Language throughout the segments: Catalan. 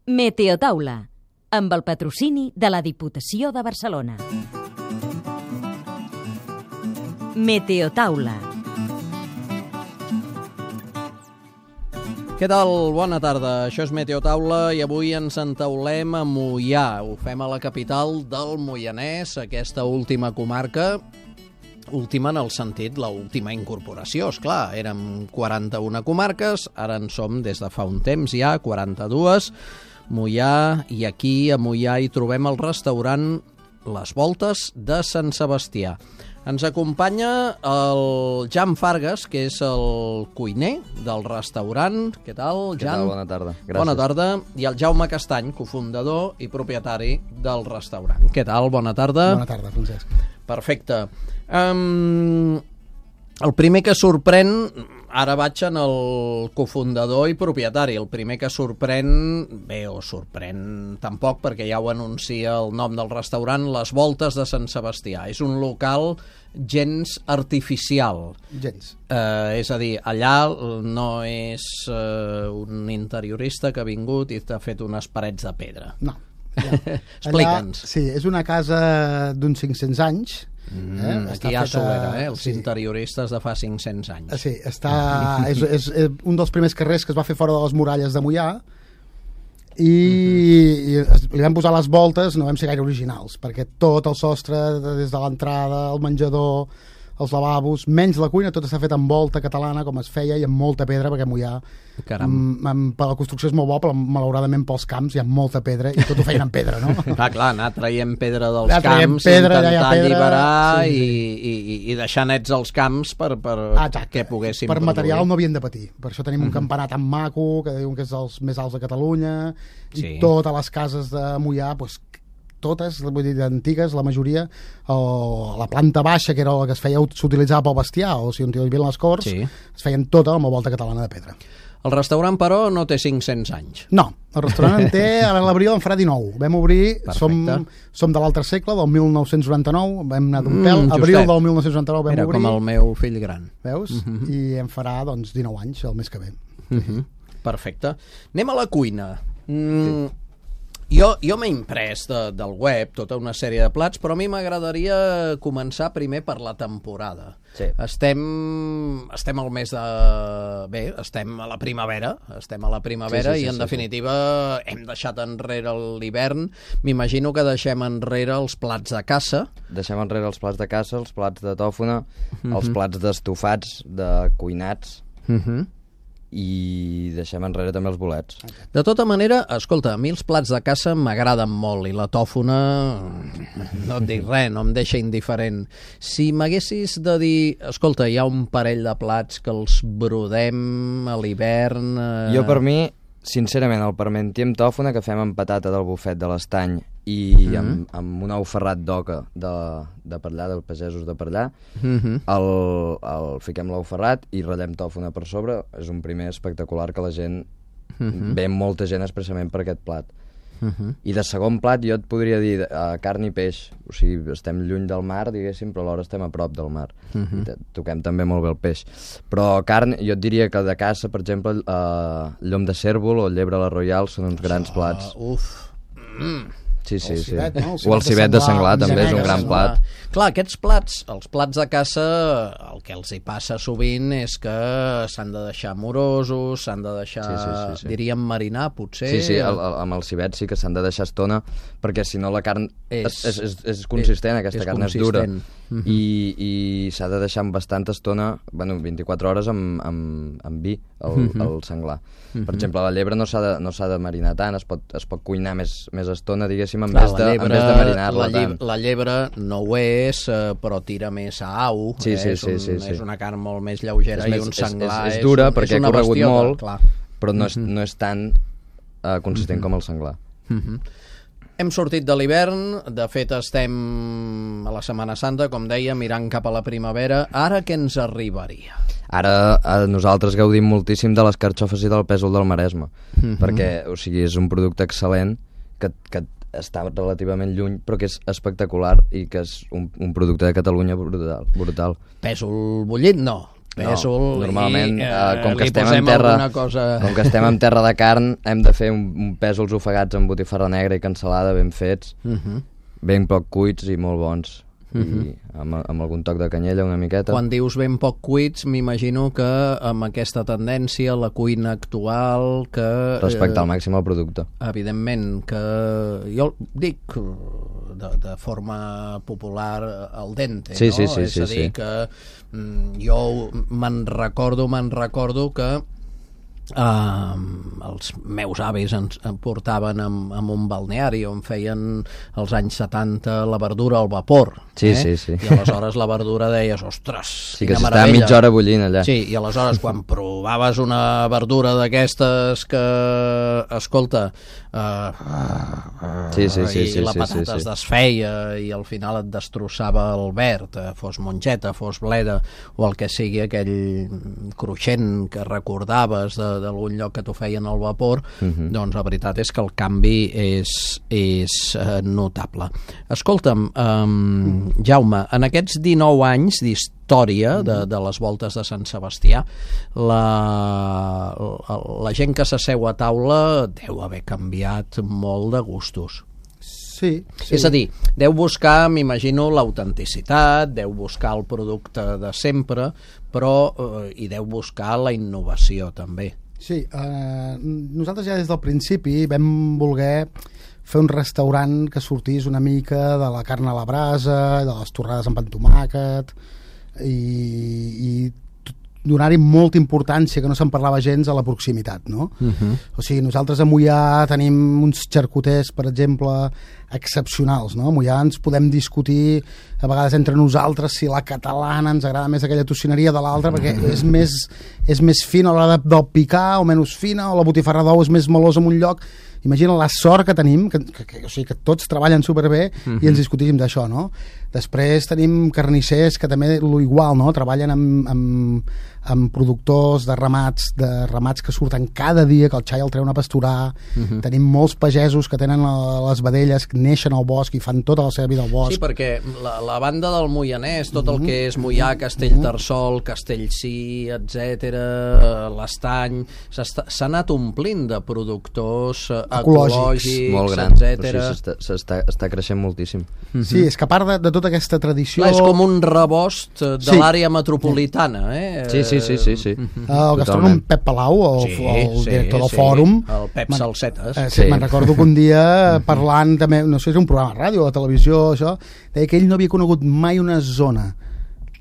Meteotaula, amb el patrocini de la Diputació de Barcelona. Meteotaula. Què tal? Bona tarda. Això és Meteotaula i avui ens entaulem a Moià. Ho fem a la capital del Moianès, aquesta última comarca. Última en el sentit, l'última incorporació, esclar. Érem 41 comarques, ara en som des de fa un temps ja, 42. Moià, i aquí a Moià hi trobem el restaurant Les Voltes de Sant Sebastià. Ens acompanya el Jan Fargas, que és el cuiner del restaurant. Què tal, Jan? Què tal? Bona tarda. Gràcies. Bona tarda. I el Jaume Castany, cofundador i propietari del restaurant. Què tal? Bona tarda. Bona tarda, Francesc. Perfecte. El primer que sorprèn, ara vaig en el cofundador i propietari, el primer que sorprèn, sorprèn tampoc perquè ja ho anuncia el nom del restaurant, Les Voltes de Sant Sebastià. És un local gens artificial. Gens. És a dir, allà no és un interiorista que ha vingut i t'ha fet unes parets de pedra. No. Explica'ns. Sí, és una casa d'uns 500 anys. Aquí hi ha solera, els interioristes de fa 500 anys. Sí, és un dels primers carrers que es va fer fora de les muralles de Moià i li vam posar les voltes, no vam ser gaire originals, perquè tot el sostre, des de l'entrada, el menjador, els lavabos, menys la cuina, tot està fet amb volta catalana, com es feia, i amb molta pedra, perquè Moià, per la construcció és molt bo, però malauradament pels camps hi ha molta pedra, i tot ho feien amb pedra, no? Clar, anar traient pedra dels camps, intentar alliberar i deixar nets els camps que poguéssim per produir. Material no havien de patir, per això tenim un campanar tan maco, que diuen que és dels més alts de Catalunya, i totes les cases de Moià, doncs, totes, vull dir, antigues, la majoria, la planta baixa, que era la que s'utilitzava pel bestiar, o si on hi havia les corts, es feien tota amb la volta catalana de pedra. El restaurant, però, no té 500 anys. No, el restaurant en té, ara en l'abril en farà 19. Vam obrir, som de l'altre segle, del 1999, vam anar d'un pèl, abril del 1999 vam obrir. Era com el meu fill gran. Veus? I en farà, doncs, 19 anys, el mes que ve. Perfecte. Anem a la cuina. Jo m'he imprès del web tota una sèrie de plats, però a mi m'agradaria començar primer per la temporada. Sí. Estem al mes de... estem a la primavera, i en definitiva hem deixat enrere l'hivern. M'imagino que deixem enrere els plats de caça. Deixem enrere els plats de caça, els plats de tòfona, els plats d'estofats, de cuinats, i deixem enrere també els bolets. De tota manera, escolta, a mi els plats de caça m'agraden molt i la tòfona, no et dic res, no em deixa indiferent. Si m'haguessis de dir, escolta, hi ha un parell de plats que els brodem a l'hivern... Jo, per mi, sincerament, el parmentier amb tòfona que fem amb patata del bufet de l'Estany i amb un ou ferrat d'oca de per allà, dels pagesos de per allà, el fiquem l'ou ferrat i ratllem tòfona per sobre. És un primer espectacular que la gent ve molta gent expressament per aquest plat. I de segon plat jo et podria dir carn i peix. O sigui, estem lluny del mar, diguéssim, però alhora estem a prop del mar. I toquem també molt bé el peix. Però carn, jo et diria que de caça, per exemple, llom de cérvol o llebre a la Royal són uns grans plats. Sí. O el civet de senglar també és un gran plat. Clar, aquests plats, els plats de caça, el que els hi passa sovint és que s'han de deixar morosos, s'han de deixar, diríem, marinar, potser. Sí, amb el civet sí que s'han de deixar estona, perquè si no la carn és consistent, aquesta carn és dura. I s'ha de deixar amb bastanta estona, 24 hores amb vi, el senglar. Per exemple, la llebre no s'ha de marinar tant, es pot cuinar més estona, diguéssim, en vez de marinar-la tant. La llebre no ho és, però tira més a au. És una carn molt més lleugera i un senglar és dura perquè ha corregut molt, però no és tan consistent com el senglar. Hem sortit de l'hivern, de fet estem a la Setmana Santa, com deia, mirant cap a la primavera. Ara què ens arribaria? Ara nosaltres gaudim moltíssim de les carxofes i del pèsol del Maresme, perquè, o sigui, és un producte excel·lent que està relativament lluny, però que és espectacular i que és un producte de Catalunya brutal. Pèsol bullit, no. pèsol, normalment, i com que li estem posem en terra, alguna cosa... com que estem en terra de carn, hem de fer un pèsols ofegats amb botifarra negra i cansalada ben fets, ben poc cuits i molt bons. I amb algun toc de canyella una miqueta. Quan dius ben poc cuits, m'imagino que amb aquesta tendència, la cuina actual, que... Respectar al màxim el producte. Evidentment, que jo dic de forma popular al dente, sí, no? Sí, és a dir, que jo me'n recordo que els meus avis ens portaven amb un balneari on feien als anys 70 la verdura al vapor, sí. I aleshores la verdura deies, ostres, sí, que quina s'estava meravella. mitja hora bullint allà. Sí, i aleshores quan provaves una verdura d'aquestes que, escolta, i la patata es desfeia i al final et destrossava el verd, fos mongeta, fos bleda o el que sigui, aquell cruixent que recordaves d'algun lloc que t'ho feien al vapor, doncs la veritat és que el canvi és notable. Escolta'm, Jaume, en aquests 19 anys d'història de les voltes de Sant Sebastià, la gent que s'asseu a taula deu haver canviat molt de gustos. Sí. És a dir, deu buscar, m'imagino, l'autenticitat, deu buscar el producte de sempre, però hi deu buscar la innovació també. Sí, nosaltres ja des del principi vam voler fer un restaurant que sortís una mica de la carn a la brasa, de les torrades amb pa amb tomàquet, i donar-hi molta importància, que no se'n parlava gens, a la proximitat, no? O sigui, nosaltres a Moià tenim uns xarcuters, per exemple, excepcionals, no? A Moià ens podem discutir a vegades entre nosaltres si la catalana ens agrada més aquella tocineria de l'altra, perquè és més fina a l'hora del picar o menys fina, o la botifarra d'ou és més melosa en un lloc. Imagina la sort que tenim, o sigui, que tots treballen superbé i ens discutim d'això, no? Després tenim carnissers que també igual, no? Treballen amb productors de ramats que surten cada dia, que el xai el treuen a pasturar. Tenim molts pagesos que tenen les vedelles, que neixen al bosc i fan tota la seva vida al bosc. Sí, perquè la banda del Moianès, tot el que és Moià, Castellterçol, Castellcí, etc, l'Estany, s'ha anat omplint de productors ecològics, molt gran, etc. Està creixent moltíssim. Sí, és que a part de tota aquesta tradició... Clar, és com un rebost de l'àrea metropolitana, Sí. El gastrònom Pep Palau, el director del Fòrum, el Pep Salsetes. Me'n recordo que un dia parlant també, no sé si era un programa de ràdio o de televisió, això, deia que ell no havia conegut mai una zona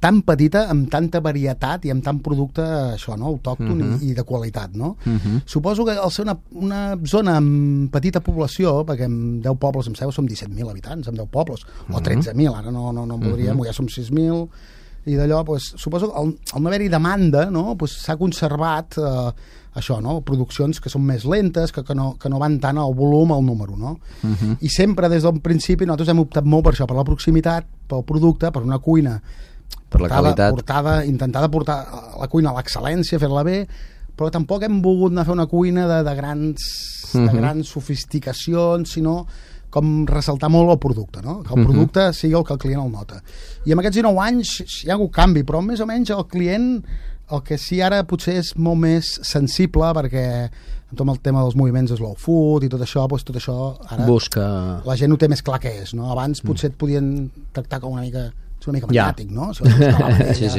tan petita, amb tanta varietat i amb tant producte, això, no? Autòcton i de qualitat, no? Suposo que al ser una zona amb petita població, perquè amb 10 pobles, em sembla, som 17.000 habitants, amb 10 pobles, o 13.000, ara no en voldríem, ja som 6.000, i d'allò, pues, suposo que al no haver-hi demanda, no? Pues, s'ha conservat això, no? Produccions que són més lentes, que no van tant al volum, al número, no? I sempre des del principi nosaltres hem optat molt per això, per la proximitat, pel producte, per una cuina per la qualitat, intentada portar la cuina a l'excel·lència, fer-la bé, però tampoc hem volgut anar a fer una cuina de grans sofisticacions, sinó com ressaltar molt el producte, no? Que el producte sigui el que el client el nota. I en aquests 19 anys hi ha hagut canvi, però més o menys el client, el que sí ara potser és molt més sensible, perquè amb tot el tema dels moviments slow food i tot això, doncs tot això ara la gent ho té més clar què és, no? Abans potser et podien tractar com una mica mediàtic, no? Si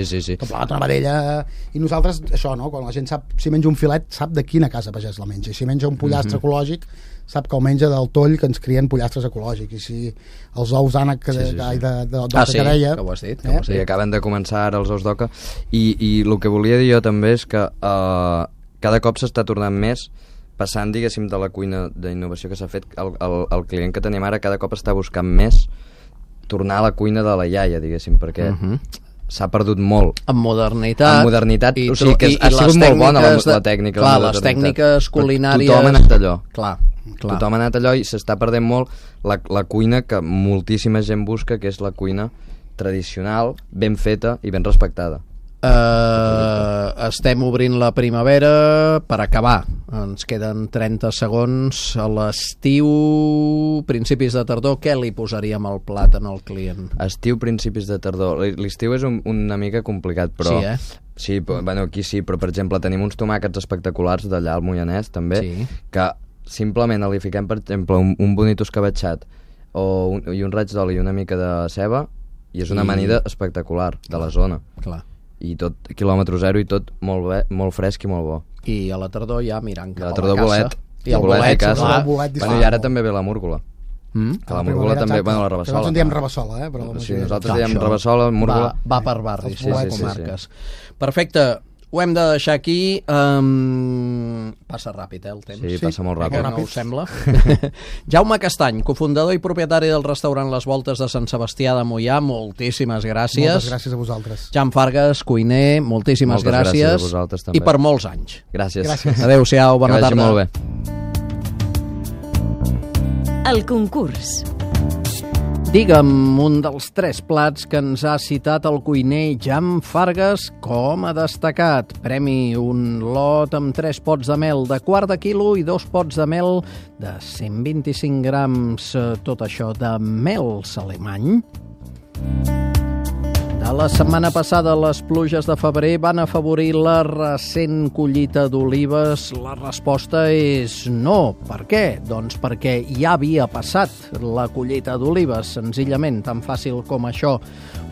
sí. Una vedella, i nosaltres, això, no? Quan la gent sap, si menja un filet, sap de quina casa pagès la menja, i si menja un pollastre ecològic, sap que el menja del toll que ens crien pollastres ecològics, i si els ous ànec d'oca que deia... que ho has dit. Sí, acaben de començar ara els ous d'oca, i el que volia dir jo també és que cada cop s'està tornant més, passant, diguéssim, de la cuina d'innovació que s'ha fet, el client que tenim ara cada cop està buscant més tornar a la cuina de la iaia, diguéssim, perquè s'ha perdut molt. En modernitat. O sigui que ha sigut molt bona la tècnica. Clar, les tècniques culinàries... Tothom ha anat allò. Clar. Tothom ha anat allò i s'està perdent molt la cuina que moltíssima gent busca, que és la cuina tradicional, ben feta i ben respectada. estem obrint la primavera per acabar. Ens queden 30 segons. A l'estiu, principis de tardor, què li posaríem al plat en el client? Estiu, principis de tardor. L'estiu és una mica complicat, però... Sí, Sí, bueno, aquí sí, però per exemple tenim uns tomàquets espectaculars d'allà al Moianès també, que simplement li fiquem per exemple un bonito escabatxat i un raig d'oli i una mica de ceba i és una amanida espectacular de la zona. Clar. I tot quilòmetre zero i tot molt fresc i molt bo. I a la tardor ja mirant cap a la tardor caça. I el bolet, clar. Bueno, i ara també ve la múrcola. Que la múrcola també, bueno, la rabassola. Nosaltres en diem rabassola, però... Sí, nosaltres diem rabassola, múrcola... Va per barris, comarques. Sí. Perfecte, ho hem de deixar aquí. Passa ràpid, el temps. Sí, passa molt ràpid. No us sembla? Jaume Castany, cofundador i propietari del restaurant Les Voltes de Sant Sebastià de Moià, moltíssimes gràcies. Moltes gràcies a vosaltres. Jan Fargas, cuiner, moltíssimes gràcies. A vosaltres, també. I per molts anys. Gràcies. Adéu-siau, bona tarda. Que vagi molt bé. El concurs. Digue'm un dels 3 plats que ens ha citat el cuiner Jan Fargas com a destacat. Premi un lot amb 3 pots de mel de quart de quilo i 2 pots de mel de 125 grams. Tot això de mels alemany. De la setmana passada, les pluges de febrer van afavorir la recent collita d'olives. La resposta és no. Per què? Doncs perquè ja havia passat la collita d'olives, senzillament, tan fàcil com això.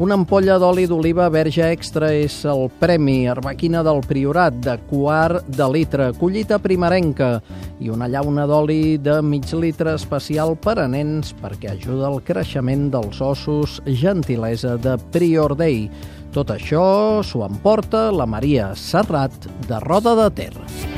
Una ampolla d'oli d'oliva verge extra és el premi. Arbequina del Priorat, de quart de litre. Collita primerenca. I una llauna d'oli de mig litre especial per a nens perquè ajuda al creixement dels ossos. Gentilesa de Prior Day. Tot això s'ho emporta la Maria Serrat de Roda de Ter.